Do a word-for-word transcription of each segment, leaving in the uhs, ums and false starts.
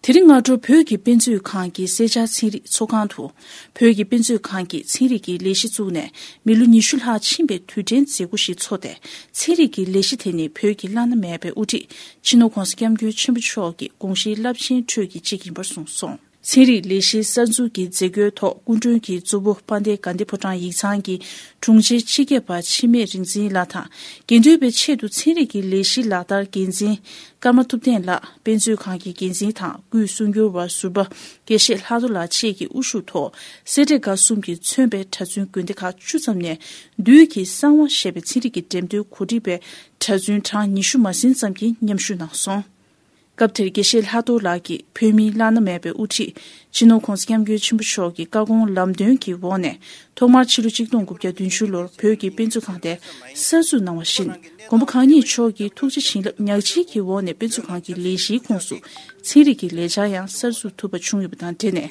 དེ་རིང་སྔ་དྲོ་བོད་ཀྱི་དཔེ་མཛོད་ཁང་གི་གསེར་ཆར་ཚན་རིག་ཚོགས་ཁང་དུ། བོད་ཀྱི་དཔེ་མཛོད་ཁང་གིས་ཚན་རིག་གི་ལས་གཞི་བཙུགས་ནས་མི་ལོ་ཉི་ཤུ་ལྷག་ཕྱིན་པའི་དུས་དྲན་མཛད་སྒོ་ཞིག་འཚོགས་ཏེ། ཚན་རིག་གི་ལས་གཞི་དེ་ནི་བོད་ཀྱི་བླ་ན་མེད་པའི་དབུ་ཁྲིད་སྤྱི་ནོར་༧གོང་ས་༧སྐྱབས་མགོན་ཆེན་པོ་མཆོག་གི་དགོངས་གཞིའི་རླབས་ཆེན་ཁྲོད་ཀྱི་གཅིག་ཡིན་པར་གསུངས་སོང་། ཚན་རིག་ལས་གཞིའི་གསར་འཛུགས་ཀྱི་མཛད་སྒོའི་ཐོག་སྐུ་མགྲོན་གྱིས་གཙོ་བོ་དཔལ་ལྡན་དགའ་ལྡན་ཕོ་བྲང་ཡིག་ཚང་གི་དྲུང་ཆེ་སྤྱི་ཁྱབ་པ་འཆི་མེད་རིག་འཛིན་ལགས་དང་། དགེ་འདུན་པའི་ཆེད་དུ་ཚན་རིག་གི་ལས་གཞི་ལག་བསྟར་འགན་འཛིན་ཀརྨ་ཐུབ་བསྟན་ལགས། དཔེ་མཛོད་ཁང་གི་འགན་འཛིན་དང་སྐུའི་གསུང་སྒྱུར་བ་ཟུར་པ་དགེ་བཤེས་ལྷག་རྡོར་ལགས་བཅས་ཀྱི་དབུ་བཞུགས་ཐོག་སེ་འབྲས་དགའ་གསུམ་གྱིས་མཚོན་པའི་གྲྭ་བཙུན་དགོན་སྡེ་ཁག་བཅུ་ཙམ་ནས་བདུད་ཀྱི་གསང་བ་ཞེས་པའི་ཚན་རིག་གི་འགྲེམས་སྟོན་གོ་སྒྲིག་པའི་གྲྭ་བཙུན་གྲངས་ཉི་ཤུ་མ་ཟིན་ཙམ་གྱིས་མཉམ་ཞུགས་གནང་སོང་། སྐབས་དེར་དགེ་བཤེས་ལྷག་རྡོར་ལགས་ཀྱིས་བོད་མིའི་བླ་ན་མེད་པའི་དབུ་ཁྲིད་སྤྱི་ནོར་༧གོང་ས་༧སྐྱབས་མགོན་ཆེན་པོ་མཆོག་གི་བཀའ་དགོངས་ལམ་སྟོན་གྱི་འོག་ནས། ཐོག་མར་ཕྱི་ལོ་ཆིག་སྟོང་དགུ་བརྒྱ་བདུན་ཅུ་ལོར་བོད་ཀྱི་དཔེ་མཛོད་ཁང་དེ་གསར་འཛུགས་གནང་བ་བཞིན། མགོན་པོ་གང་ཉིད་མཆོག་གི་ཐུགས་རྗེ་བྱིན་རླབས་ཉག་གཅིག་གི་འོག་ནས་དཔེ་མཛོད་ཁང་གི་ལས་གཞིའི་ཁོངས་སུ་ཚན་རིག་གི་ལས་འཆར་ཡང་གསར་འཛུགས་ཐུབ་པ་བྱུང་ཡོད་པ་དང་འབྲེལ་ནས།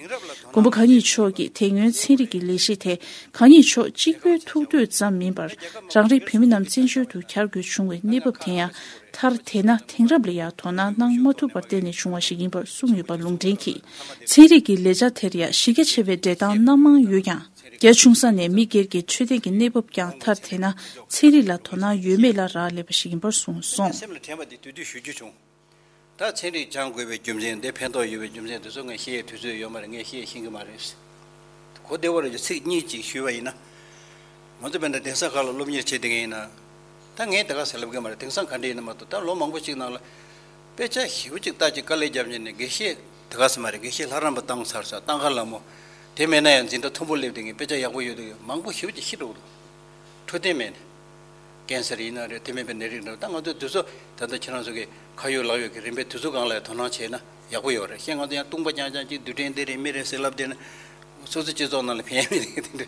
མགོན་པོ་གང་ཉིད་མཆོག་གིས་དེ་སྔོན་ཚན་རིག་གི་ལས་གཞི་དེ་གང་ཉིད་མཆོག་གཅིག་པུའི་ཐུགས་འདོད་ཙམ་མིན་པར། རང་རེའི་བོད་མི་རྣམས་བཙན་བྱོལ་དུ་གྱར་དགོས་བྱུང་བའི་གནས་བབ་དེ་ཡང་མཐར་དེད་ན་དེང་རབས་ལ་ཡང་དོ་སྣང་གནང་མ་ཐུབ་པར་བརྟེན་ནས་བྱུང་བ་ཞིག་ཡིན་པར་གསུངས་ཡོད་པ་ལུང་འདྲེན་གྱིས། ཚན་རིག་གི་ལས་འཆར་དེར་ཡང་གཞི་རྒྱ་ཆེ་བའི་འགྲེལ་སྟངས་སྣ་མང་ཡོད་ཀྱང་། རྒྱ་ཆུང་ས་ནས་མི་སྒེར་གྱི་འཕྲོད་བསྟེན་གྱི་གནས་བབ་ཀྱང་མཐར་དེད་ན་ཚན་རིག་ལ་དོ་སྣང་ཡོད་མེད་ལ་རག་ལས་པ་ཞིག་ཡིན་པར་གསུངས་སོང་། སེམས་ལ་དྲན་པ་དེ་དུས་དུས་ཞུ་རྒྱུ་བྱུང་། ད་ཚན་རིག་སྦྱང་དགོས་པའི་རྒྱུ་མཚན་དེ་ཕན་ཐོགས་ཡོད་པའི་རྒྱུ་མཚན་དེ་ཚོ་ངས་བཤད་ཡའི་དུས་ཚོད་ཡོད་མ་རེད། ངས་བཤད་ཤེས་ཀྱི་མ་རེད། གོ་བདེ་བོ་རེད། ཚིག་གཉིས་ཅིག་ཞུས་པ་ཡིན་ན། ང་ཚོ་དཔེར་ན་གདན་ས་ཁག་ལ་སློབ་གཉེར་བྱེད་བསྡད་མཁན་ཡིན་ན། ད་ངས་དེ་ག་ཟེར་ལབ་གི་མ་རེད། དེང་སང་ག་འདྲ་ཡིན་ན་མ་གཏོགས་ད་ལོ་མང་པོ་ཅིག་ནང་ལ། དཔེ་ཆ་ཞེ་པོ་ཅིག་ལྟ་ཅིག་དཀའ་ལས་བརྒྱབ་ནས་ནས་དགེ་བཤེས་དེ་ག་ཟེར་མ་རེད། དགེ་བཤེས་ལྷ་རམས་པ་བཏང་ཚར་ས་བཏང་ཁ་ལ་མོ། དེ་མེད་ན་ཡང་འཛིན་གྲྭ་མཐོན་པོ་སླེབས་བསྡད་མཁན་དཔེ་ཆ་ཡག་པོ་ཡོད་དུས་མང་པོ་ཞེ་པོ་ཅིག་ཤི་འགྲོ་གི་འདུག་འཕྲོད་བསྟེན་མེད་ནས། ཀན་སར་ཡིན་ན་རེད། དེ་མིན་པའི་ནད་རིགས་འདྲ་ད་ང་ཚོས་དུས་ཚོད་ད་ལྟ་ཁྱེད་རང་ཚོ་གི་ཁ་ཡོད་ལག་ཡོད་ཀྱི་རིམ་པས་དུས་ཚོད་སྒང་ལ་དོ་སྣང་བྱས་ན་ཡག་པོ་ཡོད་རེད། གཞན་ང་ཚོ་ཡང་ལྟུང་པ་རྐྱང་རྐྱང་ཅིག་རྡུལ་ཕྲན་འདི་རེད་མི་རེད་ཟེར་ལབ་བསྡད་ན་སོ་སོ་སྤྱི་ཚོགས་ནང་ལ་ཕན་ཡ་མེད་ནི་དེ་འདྲ་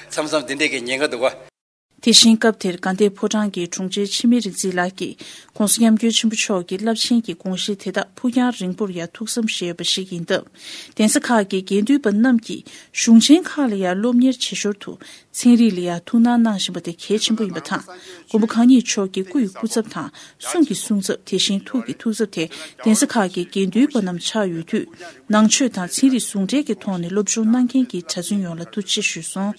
མཚམས་མཚམས་དེ་འདྲས་ཀྱི་ཉེན་ཁ་འདུག་ག། དེ་བཞིན་སྐབས་དེར་དགའ་ལྡན་ཕོ་བྲང་གི་དྲུང་ཆེ་འཆི་མེད་རིག་འཛིན་ལགས་ཀྱིས་༧གོང་ས་༧སྐྱབས་མགོན་ཆེན་པོ་མཆོག་གི་རླབས་ཆེན་གྱི་དགོངས་གཞི་དེ་དག་ཕུགས་རྒྱང་རིང་པོར་ཡང་ཐུགས་བསམ་བཞེས་ཡོད་པ་ཞིག་ཡིན་སྟབས། གདན་ས་ཁག་གི་དགེ་འདུན་པ་རྣམས་ཀྱིས་གཞུང་ཆེན་ཁག་ལ་ཡང་སློབ་གཉེར་བྱེད་ཞོར་དུ། ཚན་རིག་ལ་ཡང་ཐུགས་སྣང་གནང་བཞིན་པ་དེ་གལ་ཆེན་པོ་ཡིན་པ་དང་། མགོན་པོ་གང་ཉིད་མཆོག་གི་སྐུ་ཡི་སྐུ་ཚབ་དང་གསུང་གི་གསུང་ཚབ། དེ་བཞིན་ཐུགས་ཀྱི་ཐུགས་ཚབ་དེ་གདན་ས་ཁག་གི་དགེ་འདུན་པ་རྣམས་ཆགས་ཡོད་དུས། ནང་ཆོས་དང་ཚན་རིག་ཟུང་འབྲེལ་གྱི་ཐོག་ནས་སློབ་སྦྱོང་གནང་མཁན་གྱི་གྲྭ་བཙུན་ཡོངས་ལ་ཐུགས་རྗེ་ཆེ་ཞུས་སོང་།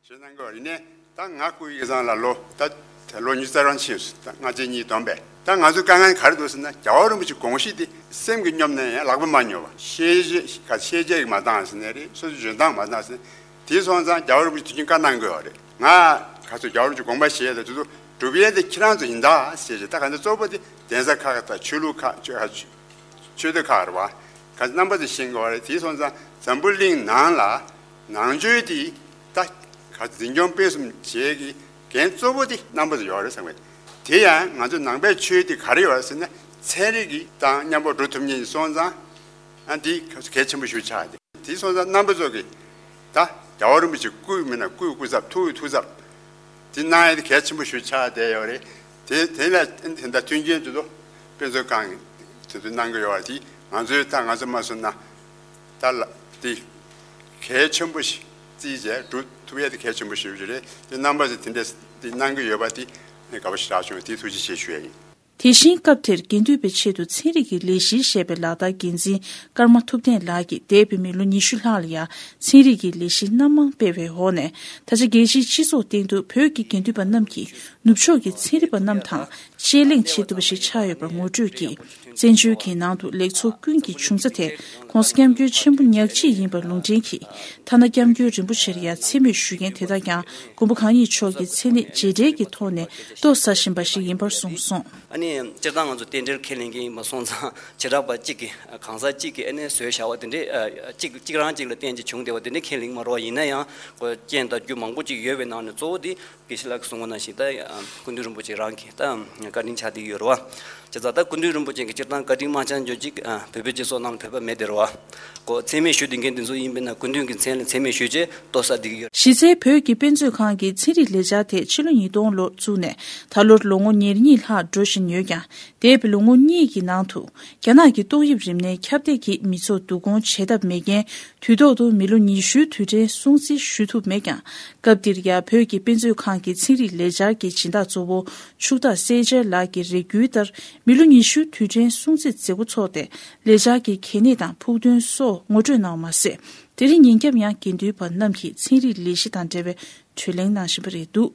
ཞེས་གནང་གི་ཡོད་རེད། ད་ང་སྐུ་ཡི་ཚང་ལ་ལོ་ད་ལོ་ཉི་ཤུ་རྩ་གྲངས་ཕྱིན་སོང་། ད་སྔ་རྗེས་གཉིས་བསྡོམས་པས། ད་ང་ཚོའི་དཀའ་ངལ་ག་རེ་འདུག་ཟེར་ན། རྒྱལ་བ་རིན་པོ་ཆེའི་དགོངས་གཞི་དེ་སེམས་ཀྱིས་སྙོབ་ན་ཡང་ལག་པས་མ་སྙོབ་པ། ཤེས་བྱེད་ག་ཤེས་བྱེད་ཀྱིས་མ་བཏང་ཟེར་ནའི་རེད། སོ་སོའི་འཇོན་ཐང་མ་བཏང་ཟེར་ན། དེ་སོང་ཙང་རྒྱལ་བ་རིན་པོ་ཆེ་དུས་རྒྱུན་བཀའ་གནང་གི་ཡོད་རེད། ང་ག་ཚོད་རྒྱལ་བ་རིན་པོ་ཆེའི་དགོངས་པ་བཞེས་ཡ་དང་དེ་ཚོ་སྒྲུབ་ཡས་དེ་ཁྱེད་རང་ཚོ་ཡིན་ད་ཟེར་བྱས། ད་ག་ཚོད་གཙོ་བོ་དེ་གདན་ས་ཁག་དང་ཆོས་ལུགས་ཁག་ཆོས་ཆོས་སྡེ་ཁག་རེད་བ། ག་ཚོད་རྣམ་པ་ཚོས་ཤེས་ཀྱི་ཡོད་རེད། དེ་སོང་ཙང་འཛམ་བུ་གླིང་ནང་ལ་ནང་ཆོས་དེ་ད་ག་ཚོད་འཛིན་སྐྱོང་སྤེལ་གསུམ་བྱེད་ཀྱི་འགན་གཙོ་བོ་དེ་རྣམ་པ་ཚོ་ཡོད་རེད་བསམ་གི། དེ་ཡང་ང་ཚོ་ནང་པའི་ཆོས་དེ་ག་རེ་ཡོད་རེད་ཟེར་ན། ཚན་རིག་གི་དང་མཉམ་པོ་འགྲོ་ཐུབ་མཁན་སོང་ཙང་། ཨ་འདི་གལ་ཆེན་པོ་ཞིག་ཆགས་ཏེ། དེ་སོང་ཙང་རྣམ་པ་ཚོ་གིས་ད་རྒྱལ་བ་རིན་པོ་ཆེའི་སྐུ་མིན་ན་སྐུའི་སྐུ་ཚབ། ཐུགས་ཀྱི་ཐུགས་ཚབ་དེ་གནང་ཡ་དེ་གལ་ཆེན་པོ་ཞིག་ཆགས་བསྡད་ཡོད་རེད། དེ་དེ་ལ་དེ་འདྲ་མཐུན་རྐྱེན་དེ་ཚོ་དཔེ་མཛོད་ཁང་གིས་དེ་ཚོ་གནང་གི་ཡོད་རེད། དེ་ང་ཚོས་ད་ང་ཚོ་མ་བཟོ་ན་ད་ལ་དེ་གལ་ཆེན་པོ་ཞིག་བརྩིས་བྱས་སྒྲུབ་ཐུབ་ཡ་དེ་གལ་ཆེན་པོ་ཞིག་རེད། དེ་རྣམ་པ་ཚོས་དེ་འདྲ་དེ་གནང་གི་ཡོད་པ་དེ་དགའ་པོ་ཞེ་དྲག་བྱུང་། དེ་ཐུགས་རྗེ་ཆེ་ཞུ་ཡ་ཡིན། དེ་བཞིན་སྐབས་དེར་དགེ་འདུན་པའི་ཆེད་དུ་ཚན་རིག་གི་ལས་གཞི་ཞེས་པའི་ལག་བསྟར་འགན་འཛིན་ཀརྨ་ཐུབ་བསྟན་ལགས་ཀྱིས་འདས་པའི་མི་ལོ་ཉི་ཤུ་ལྷག་ལ་ཡང་ཚན་རིག་གི་ལས་གཞི་སྣ་མང་སྤེལ་བའི་འོག་ནས། ད་ཆ་རྒྱལ་སྤྱིའི་སྤྱི་ཚོགས་སྟེང་དུ་བོད་ཀྱི་དགེ་འདུན་པ་རྣམས་ཀྱིས་ནུབ་ཕྱོགས་ཀྱི་ཚན་རིག་པ་རྣམས་དང་དཔྱད་གླེང་བྱེད་ཐུབ་པ་ཞིག་ཆགས་ཡོད་པར་ངོ་སྤྲོད་ཀྱིས། བཙན་བྱོལ་གྱི་ནང་དུ་ལེགས་ཚོགས་ཀུན་གྱི་འབྱུང་རྩ་དེ་༧གོང་ས་༧སྐྱབས་མགོན་ཆེན་པོ་ཉག་གཅིག་ཡིན་པར་ལུང་འདྲེན་གྱིས། ཐ་ན་༧སྐྱབས་མགོན་རིན་པོ་ཆེར་ཡང་མཚན་སྨད་ཞུ་མཁན་དེ་དག་ཀྱང་མགོན་པོ་གང་ཉིད་མཆོག་གི་མཚན་གནས་རྗེས་དྲན་གྱི་ཐོག་ནས་ལྟོ་ཟ་བཞིན་པ་ཞིག་ཡིན་པར་གསུངས་སོང་། ཨ་ནི་སྤྱིར་བཏང་ང་ཚོ་རྟེན་འབྲེལ་ཁས་ལེན་མཁན་ཡིན་པ་སོང་ཙང་། བྱེ་བྲག་པ་གཅིག་གིས་གང་ཟག་གཅིག་གིས་ཨ་ནི་བཟོས་བཞག་པ་དེ་འདྲས་གཅིག་གཅིག་རང་གཅིག་ལ་བརྟེན་ཅིག་བྱུང་བསྡད་པ་དེ་འདྲས་ཁས་ལེན་མ་རོགས། ཡིན་ན་ཡང་ཁོ་རྐྱེན་དང་རྒྱུ་མང་པོ་ཅིག་ཡོད་པའི་ནང་ནས་གཙོ་བོ་དེ། དགེ་བཤེས་ལགས་ཀྱིས་གསུངས་པ་ནང་བཞིན་ད་སྐུ་མདུན་རིན་པོ་ཆེ་རང་གིས་ད་བཀའ་དྲིན་ཆགས་བསྡད་ཀྱི་ཡོད་རེད་བ། བྱས་ཙང་ད་སྐུ་མདུན་རིན་པོ་ཆེ་གིས་སྤྱིར་བཏང་བཀའ་དྲིན་མ་བསྐྱངས་རྒྱུ་ཅིག་བོད་པའི་སྤྱི་ཚོགས་ནང་ལ་བོད་པ་མེད་དེ་རེད་བ། ཁོ་མཚན་སྨད་ཞུ་བསྡད་མཁན་དེ་ཚོ་ཡིན་པས་ན་སྐུ་མདུན་གྱི་མཚན་ལ་མཚན་སྨད་ཞུས་བྱས་ལྟོ་ཟ་བསྡད་ཀྱི་ཡོད། གཞི་རྩའི་བོད་ཀྱི་དཔེ་མཛོད་ཁང་གི་ཚན་རིག་ལས་འཆར་དེ་ཕྱི་ལོ་ཉིས་སྟོང་ལོར་བཙུགས་ནས་ད་ལོར་ལོ་ངོ་ཉེར་གཉིས་ལྷག་འགྲོ་བཞིན་ཡོད་ཀྱང་། འདས་པའི་ལོ་ངོ་གཉིས་ཀྱི་ནང་དུ། རྒྱ་ནག་གི་ཏོག་དབྱིབས་རིམས་ནད་ཁྱབ་གདལ་གྱིས་མི་ཚོགས་བསྡུ་སྐོང་བྱེད་ཐབས་མེད་རྐྱེན། དུས་ཐོག་ཏུ་མི་ལོ་ཉི་ཤུའི་དུས་དྲན་སྲུང་བརྩི་ཞུ་ཐུབ་མེད་ཀྱང་། སྐབས་འདིར་ཡང་བོད་ཀྱི་དཔེ་མཛོད་ཁང་གི་ཚན་རིག་ལས་འཆར་གྱི་སྦྱིན་བདག་གཙོ་བོ་ཕྱུག་བདག་སེ་ཅར་ལགས་ཀྱི་རེ་སྐུལ་ལྟར། མི་ལོ་ཉི་ཤུ་དུས་དྲན་སྲུང་བརྩི་མཛད་སྒོ་འཚོགས་ཏེ་ལས་འཆར་གྱི་གལ་གནད་དང་ཕུགས་འདུན་སོགས་ངོ་སྤྲོད་གནང་བ་མ་ཟད། དེ་རིང་ཉིན་རྒྱབ་ཡང་དགེ་འདུན་པ་རྣམས་ཀྱིས་ཚན་རིག་ལས་གཞི་དང་འབྲེལ་བའི་གྲོས་གླེང་གནང་བཞིན་པ་རེད་འདུག